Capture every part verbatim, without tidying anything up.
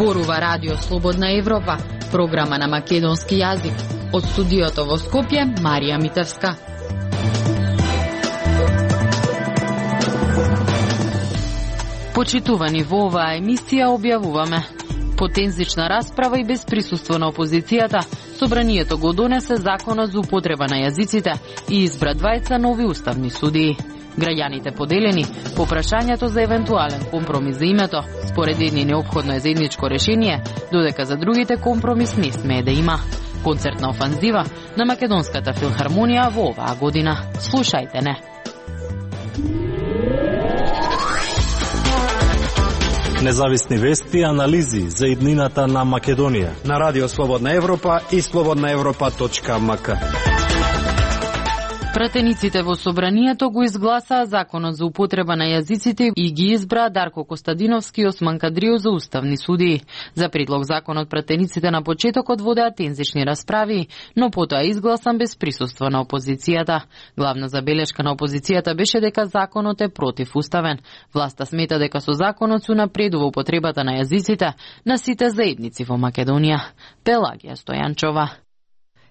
Зборува Радио Слободна Европа, програма на македонски јазик. Од студиото во Скопје, Марија Митевска. Почитувани во оваа емисија објавуваме потензична расправа и без присуство на опозицијата. Собранието го донесе законот за употреба на јазиците и избра двајца нови уставни судии. Граѓаните поделени по прашањето за евентуален компромис за името. Според едни неопходно е заедничко решение, додека за другите компромис не смее да има. Концертна офанзива на Македонската филхармонија во оваа година. Слушајте не. Независни вести и анализи за иднината на Македонија на Радио Слободна Европа и слободна европа точка ем ка. Пратениците во собранието го изгласаа законот за употреба на јазиците и ги избраа Дарко Костадиновски и Осман Кадрију за уставни судии. За предлог законот пратениците на почетокот водеа тензични расправи, но потоа изгласан без присуство на опозицијата. Главна забелешка на опозицијата беше дека законот е противуставен. Власта смета дека со законот се унапредува употребата на јазиците на сите заедници во Македонија. Пелагија Стојанчова.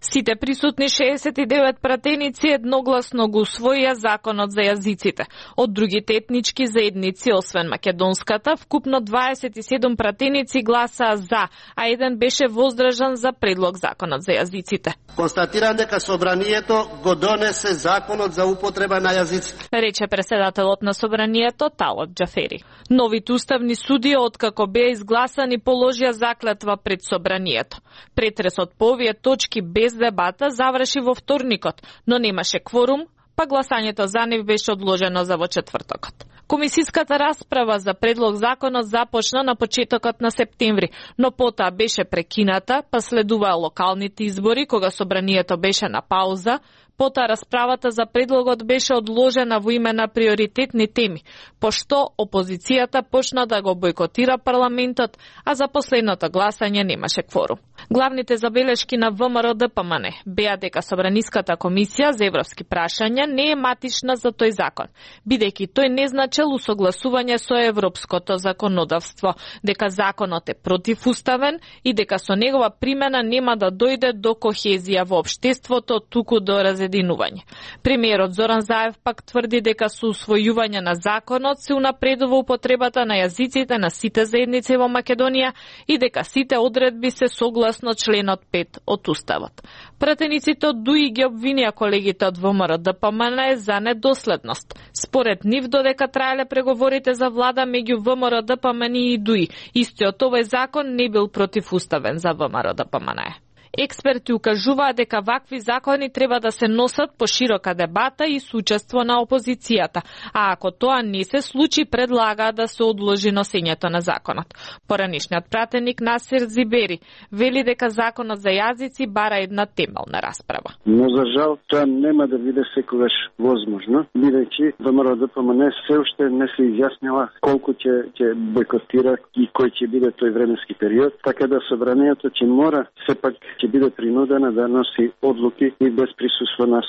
Сите присутни шеесет и девет пратеници едногласно го усвоија законот за јазиците. Од другите етнички заедници, освен македонската, вкупно дваесет и седум пратеници гласаа за, а еден беше воздржан за предлог законот за јазиците. Констатирам дека собранието го донесе законот за употреба на јазиците, рече преседателот на собранието Талот Џафери. Новите уставни судии, откако беа изгласани, положија заклетва пред собранието. Претресот по овие точки без дебата заврши во вторникот, но немаше кворум, па гласањето за нив беше одложено за во четвртокот. Комисиската расправа за предлог законот започна на почетокот на септември, но потоа беше прекината, па следуваа локалните избори, кога собранието беше на пауза. Потоа расправата за предлогот беше одложена во име на приоритетни теми, пошто опозицијата почна да го бойкотира парламентот, а за последното гласање немаше кворум. Главните забелешки на Вэ Ем Ар Д П М Н беа дека Собраниската комисија за европски прашања не е матична за тој закон, бидејќи тој не значел усогласување со европското законодавство, дека законот е противуставен и дека со негова примена нема да дојде до кохезија во општеството, туку до разединување. Премиерот Зоран Заев пак тврди дека со усвојување на законот се унапредува употребата на јазиците на сите заедници во Македонија и дека сите одредби се согласно членот пет од Уставот. Пратениците од ДУИ ги обвинија колегите од Вэ Ем Ар Д П М Н за недоследност. Според нив, додека траеле преговорите за влада меѓу Вэ Ем Ар Д П М Н и ДУИ, истиот овој закон не бил противуставен за Вэ Ем Ар Д П М Н. Експерти укажуваа дека вакви закони треба да се носат по широка дебата и суучество на опозицијата, а ако тоа не се случи, предлагаа да се одложи носењето на законот. Поранишниот пратеник Насир Зибери вели дека законот за јазици бара една темелна расправа. Но за жал тоа нема да биде секогаш возможно, бидејќи Вэ Ем Ар Д П М Н се уште не се изјаснила колку ќе ќе бойкотира и кој ќе биде тој временски период, така да собранието ќе мора сепак ќе биде принудена да носи одлуки и без присуство на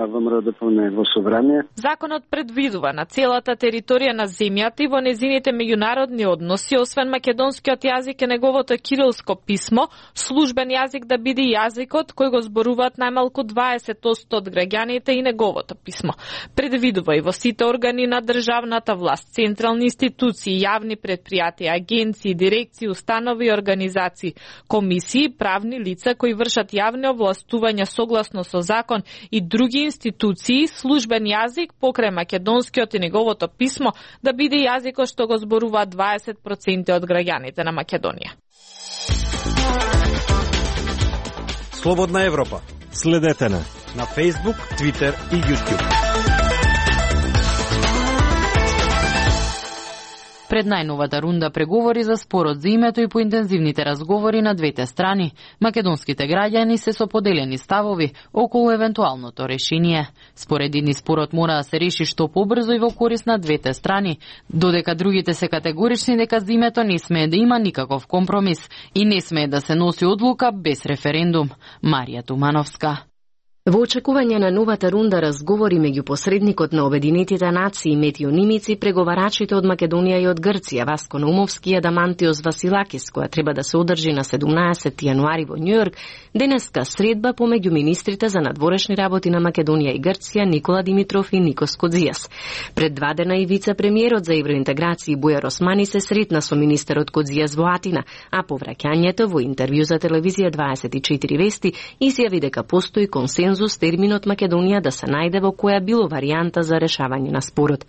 Вэ Ем Ар Д П М Н во собрание. Законот предвидува на целата територија на земјата и во незините меѓународни односи, освен македонскиот јазик и неговото кирилско писмо, службен јазик да биде јазикот кој го зборуваат најмалку дваесет одсто од граѓаните и неговото писмо. Предвидува и во сите органи на државната власт, централни институции, јавни предпријатија, агенции, дирекции, установи и организации, комисии, правни лица кои вршат јавни овластувања согласно со закон и други институции, службен јазик покрај македонскиот и неговото писмо да биде јазикот што го зборуваат дваесет проценти од граѓаните на Македонија. Слободна Европа. Следете на на Facebook, Twitter и YouTube. Пред најновата рунда преговори за спорот за името и по интензивните разговори на двете страни, македонските граѓани се со поделени ставови околу евентуалното решение. Според едни спорот мора да се реши што побрзо и во корист на двете страни, додека другите се категорични дека за името не смее да има никаков компромис и не смее да се носи одлука без референдум. Марија Тумановска. Во очекување на новата рунда разговори меѓу посредникот на Обединетите нации Метио Нимици, преговарачите од Македонија и од Грција Васко Наумовски и Адамантиос Василакис, која треба да се одржи на седумнаесети јануари во Њујорк, денеска средба помеѓу министрите за надворешни работи на Македонија и Грција Никола Димитров и Никос Кодзијас. Пред два дена и вице-премиерот за евроинтеграција Бујар Османи се сретна со министерот Кодзијас во Атина, а по враќањето во интервју за телевизија дваесет и четири вести изјави дека постои консензус терминот Македонија да се најде во која било варијанта за решавање на спорот.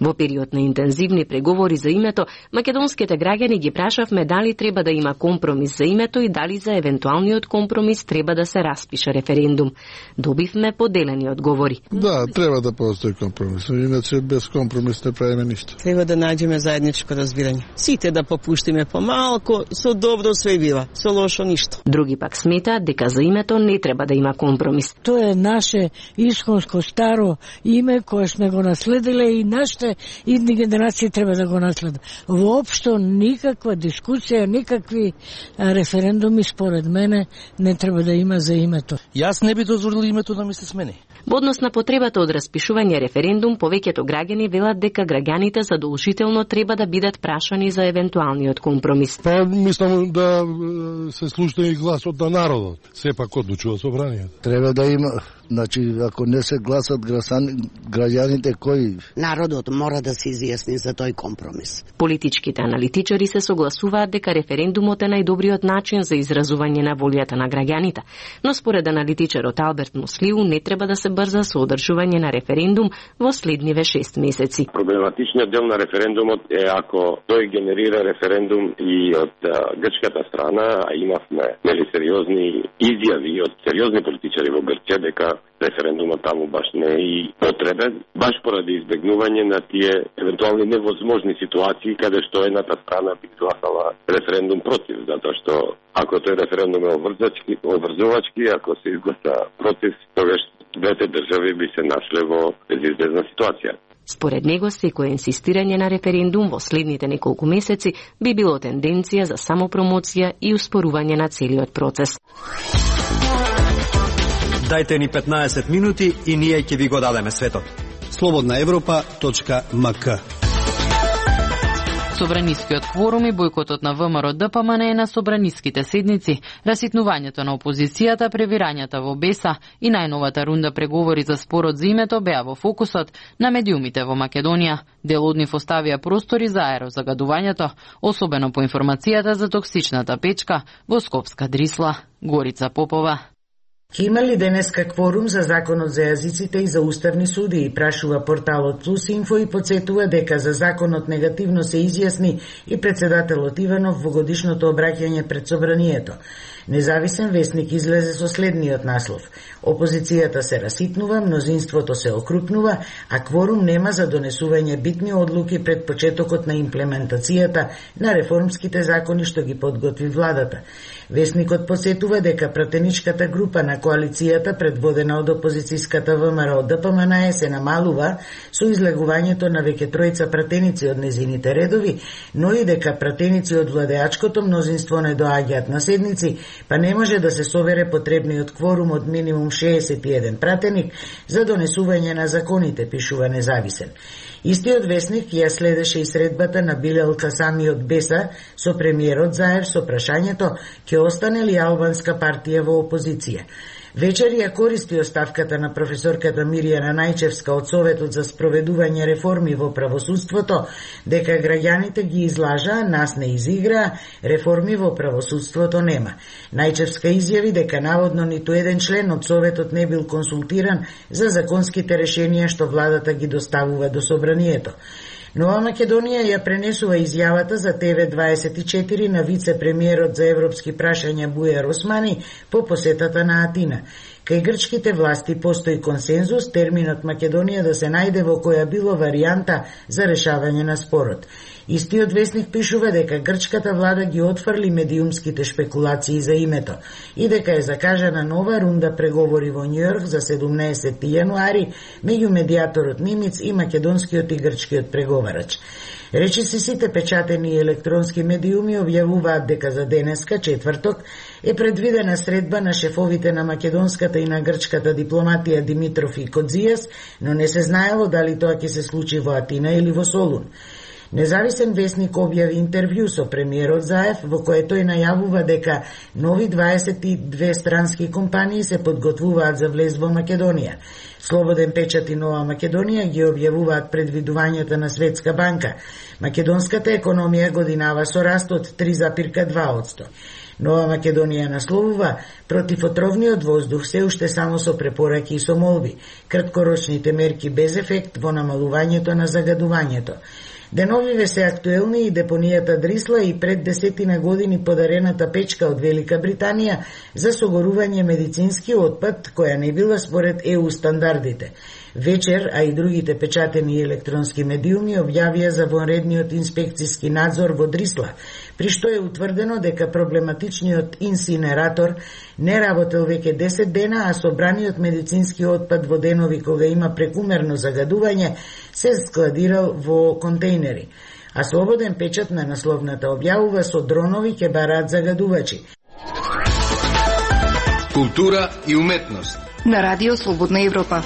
Во период на интензивни преговори за името, македонските граѓани ги прашавме дали треба да има компромис за името и дали за евентуалниот компромис треба да се распише референдум. Добивме поделени одговори. Да, треба да постои компромис, иначе без компромис не правиме ништо. Треба да најдеме заедничко разбирање. Сите да попуштиме помалку, со добро све бива, со лошо ништо. Други пак сметаат дека за името не треба да има компромис. Тоа е наше исконско старо име кое сме го наследиле и нашите идни генерации треба да го наследат. Воопшто никаква дискусија, никакви референдуми според мене не треба да има за името. Јас не би дозволил името да ми се смени. Во однос на потребата од распишување референдум, повеќето граѓани велат дека граѓаните задолжително треба да бидат прашани за евентуалниот компромис. Па мислам да се слуша и гласот на народот. Сепак одлучува собранието. Треба да има, значи ако не се гласат граѓаните кои народот мора да се изјасни за тој компромис. Политичките аналитичари се согласуваат дека референдумот е најдобриот начин за изразување на волјата на граѓаните, но според аналитичарот Алберт Муслиу не треба да се брза со одржување на референдум во следниве шест месеци. Проблематичниот дел на референдумот е ако тој генерира референдум и од а, грчката страна, а имавме нели сериозни изјави од сериозни политичари во Грција дека референдумот таму баш не е и потребен, баш поради избегнување на тие евентуални невозможни ситуации каде што едната страна би гласала референдум против, затоа што ако тој референдум е обврзачки, обврзувачки, ако се изгласа против, тогаш двете држави би се нашле во безизбежна ситуација. Според него, секој инсистирање на референдум во следните неколку месеци би било тенденција за самопромоција и успорување на целиот процес. Дајте ни петнаесет минути и ние ќе ви го дадеме светот. слободна европа точка ем ка. Собранискиот кворум и бојкотот на ВМРО Д П М Н е на собраниските седници, раситнувањето на опозицијата, превирањата во Беса и најновата рунда преговори за спорот за името беа во фокусот на медиумите во Македонија. Дел од нив оставија простори за аерозагадувањето, особено по информацијата за токсичната печка во Скопска Дрисла. Горица Попова. Ке има ли денеска кворум за законот за јазиците и за уставни суди, прашува порталот Плюс Инфо и подсетува дека за законот негативно се изјасни и председателот Иванов во годишното обраќање пред собранието. Независен вестник излезе со следниот наслов: опозицијата се раситнува, мнозинството се окрупнува, а кворум нема за донесување битни одлуки пред почетокот на имплементацијата на реформските закони што ги подготви владата. Вестникот посетува дека пратеничката група на коалицијата, предводена од опозицијската ВМРО Д П М Н, се намалува со излегувањето на веќе тројца пратеници од незините редови, но и дека пратеници од владеачкото мнозинство не доаѓаат на седници, па не може да се собере потребниот кворум од минимум шеесет и еден пратеник за донесување на законите, пишува Независен. Истиот вестник ја следеше и средбата на Билел Касами од Беса со премиерот Заев со прашањето ќе остане ли албанска партија во опозиција. Вечер ја користи оставката на професорката Миријана Најчевска од Советот за спроведување реформи во правосудството, дека граѓаните ги излажаа, нас не изиграа, реформи во правосудството нема. Најчевска изјави дека наводно ниту еден член од Советот не бил консултиран за законските решенија што владата ги доставува до собранието. Нова Македонија ја пренесува изјавата за Т В дваесет и четири на вице-премиерот за европски прашања Бујар Османи по посетата на Атина. Кај грчките власти постои консензус терминот Македонија да се најде во која било варијанта за решавање на спорот. Истиот вестник пишува дека грчката влада ги отфрли медиумските шпекулации за името и дека е закажана нова рунда преговори во Њујорк за седумнаесети јануари меѓу медијаторот Нимиц и македонскиот и грчкиот преговарач. Речиси сите печатени и електронски медиуми објавуваат дека за денеска, четврток, е предвидена средба на шефовите на македонската и на грчката дипломатија Димитров и Кодзијас, но не се знаело дали тоа ќе се случи во Атина или во Солун. Независен весник објави интервју со премиерот Заев, во кое тој најавува дека нови дваесет и две странски компании се подготвуваат за влез во Македонија. Слободен печат и Нова Македонија ги објавуваат предвидувањата на Светска банка. Македонската економија годинава со раст од три запирка два одсто. Нова Македонија насловува: против отровниот воздух се уште само со препораки и со молби. Краткорочните мерки без ефект во намалувањето на загадувањето. Деновиве се актуелни и депонијата Дрисла и пред десетина години подарената печка од Велика Британија за согорување медицински отпад, која не била според Е У стандардите. Вечер, а и другите печатени и електронски медиуми објавија за вонредниот инспекциски надзор во Дрисла, при што е утврдено дека проблематичниот инсинератор не работел веќе десет дена, а собраниот медицински отпад во денови кога има прекумерно загадување се складирал во контейнери. А Слободен печат на насловната објавува: со дронови ќе бараат загадувачи. Култура и уметност на Радио Слободна Европа.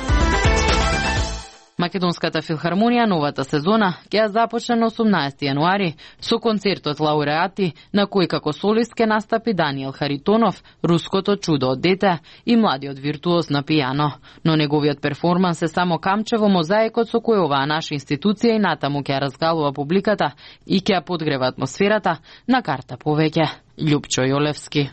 Македонската филхармонија новата сезона ќе ја започне на осумнаесети јануари со концертот Лауреати, на кој како солист ќе настапи Даниел Харитонов, Руското чудо од дете и младиот виртуоз на пијано. Но неговиот перформанс е само камче во мозаикот со кој оваа наша институција и натаму ќе ја разгалува публиката и ќе ја подгрева атмосферата на карта повеќе. Љупчо Јолевски.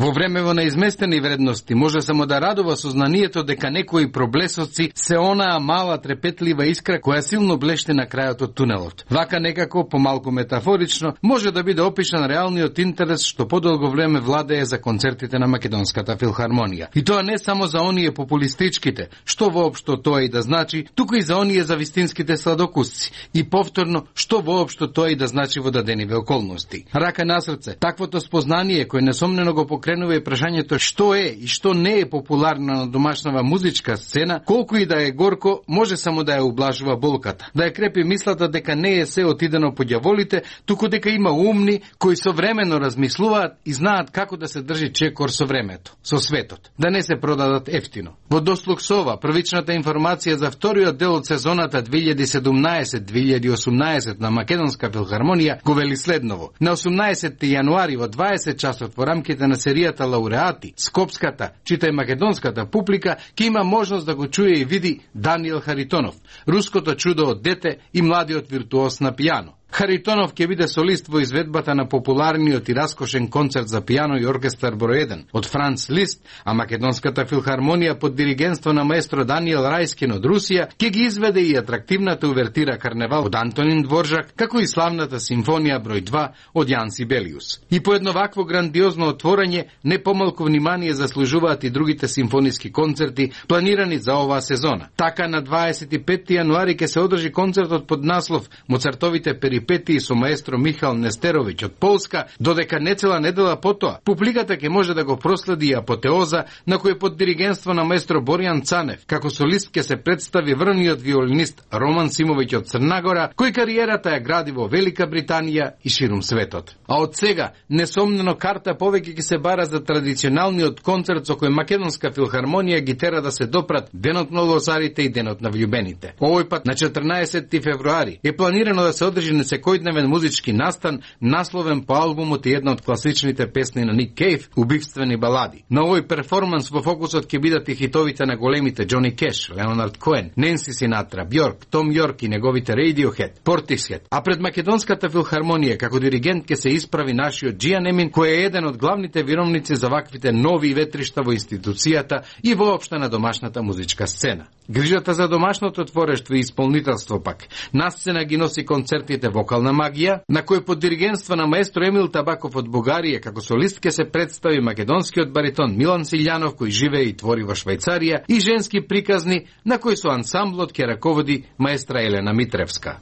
Во времево на изместени вредности може само да радува сознанието дека некои проблесоци се онаа мала трепетлива искра која силно блеште на крајот од тунелот. Вака некако, помалку метафорично, може да биде опишан реалниот интерес што подолго време владее за концертите на Македонската филхармонија. И тоа не само за оние популистичките, што воопшто тоа и да значи, туку и за оние за вистинските сладокусци. И повторно, што воопшто тоа и да значи во дадениве околности. Рака на срце, таквото спознание кој несомнено го кренува и прашањето што е и што не е популарно на домашнава музичка сцена, колку и да е горко, може само да ја ублажува болката, да ја крепи мислата дека не е се отидено по ѓаволите, туку дека има умни кои современо размислуваат и знаат како да се држи чекор со времето, со светот, да не се продадат ефтино. Во дослуг со ова, првичната информација за вториот дел од сезоната две илјади седумнаесет две илјади осумнаесет на Македонска филхармонија го вели следново: на осумнаесети јануари во дваесет часот во рамките на серијата Лауреати, скопската, читај македонската публика ќе има можност да го чуе и види Даниел Харитонов, Руското чудо од дете и младиот виртуоз на пијано. Харитонов ќе биде солист во изведбата на популарниот и раскошен концерт за пијано и оркестар број еден од Франц Лист, а Македонската филхармонија под диригентство на маестро Даниел Рајскин од Русија ќе ги изведе и атрактивната увертира Карневал од Антонин Дворжак, како и славната симфонија број два од Јан Сибелиус. И по едно вакво грандиозно отворање не помалку внимание заслужуваат и другите симфониски концерти планирани за оваа сезона. Така на дваесет и петти јануари ќе се одржи концертот под наслов Моцартовите перипетии со маестро Михаил Нестеровиќ од Полска, додека не цела недела потоа публиката ќе може да го проследи апотеоза на кој под диригентство на маестро Боријан Цанев како солист ќе се представи врвниот виолинист Роман Симовиќ од Црна Гора, кој кариерата ја гради во Велика Британија и ширум светот. А од сега несомнено карта повеќе ќе се бара за традиционалниот концерт со кој Македонска филхармонија ги тера да се допрат Денот на лозарите и Денот на влюбените. Овој пат на четрнаесети февруари е планирано да се одржи секојдневен музички настан, насловен по албумот и една од класичните песни на Ник Кейв, Убивствени балади. На овој перформанс во фокусот ќе бидат и хитовите на големите Џони Кеш, Леонард Коен, Ненси Синатра, Бјорк, Том Јорк и неговите Radiohead, Portishead. А пред Македонската филхармонија како диригент ќе се исправи нашиот Џијан Емин, кој е еден од главните виновници за ваквите нови ветришта во институцијата и воопшто на домашната музичка сцена. Грижата за домашното творештво и исполнителство пак на сцена ги носи концертите Вокална магија, на кој под диригентство на маестро Емил Табаков од Бугарија како солист ќе се представи македонскиот баритон Милан Силјанов, кој живее и твори во Швајцарија, и женски приказни на кој со ансамблот ќе раководи маестра Елена Митревска.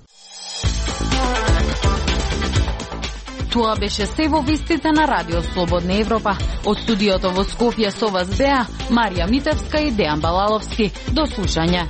Тоа беше се во вестите на Радио Слободна Европа. Од студиото во Скопје со вас беа Марија Митевска и Дејан Балаловски. До слушање.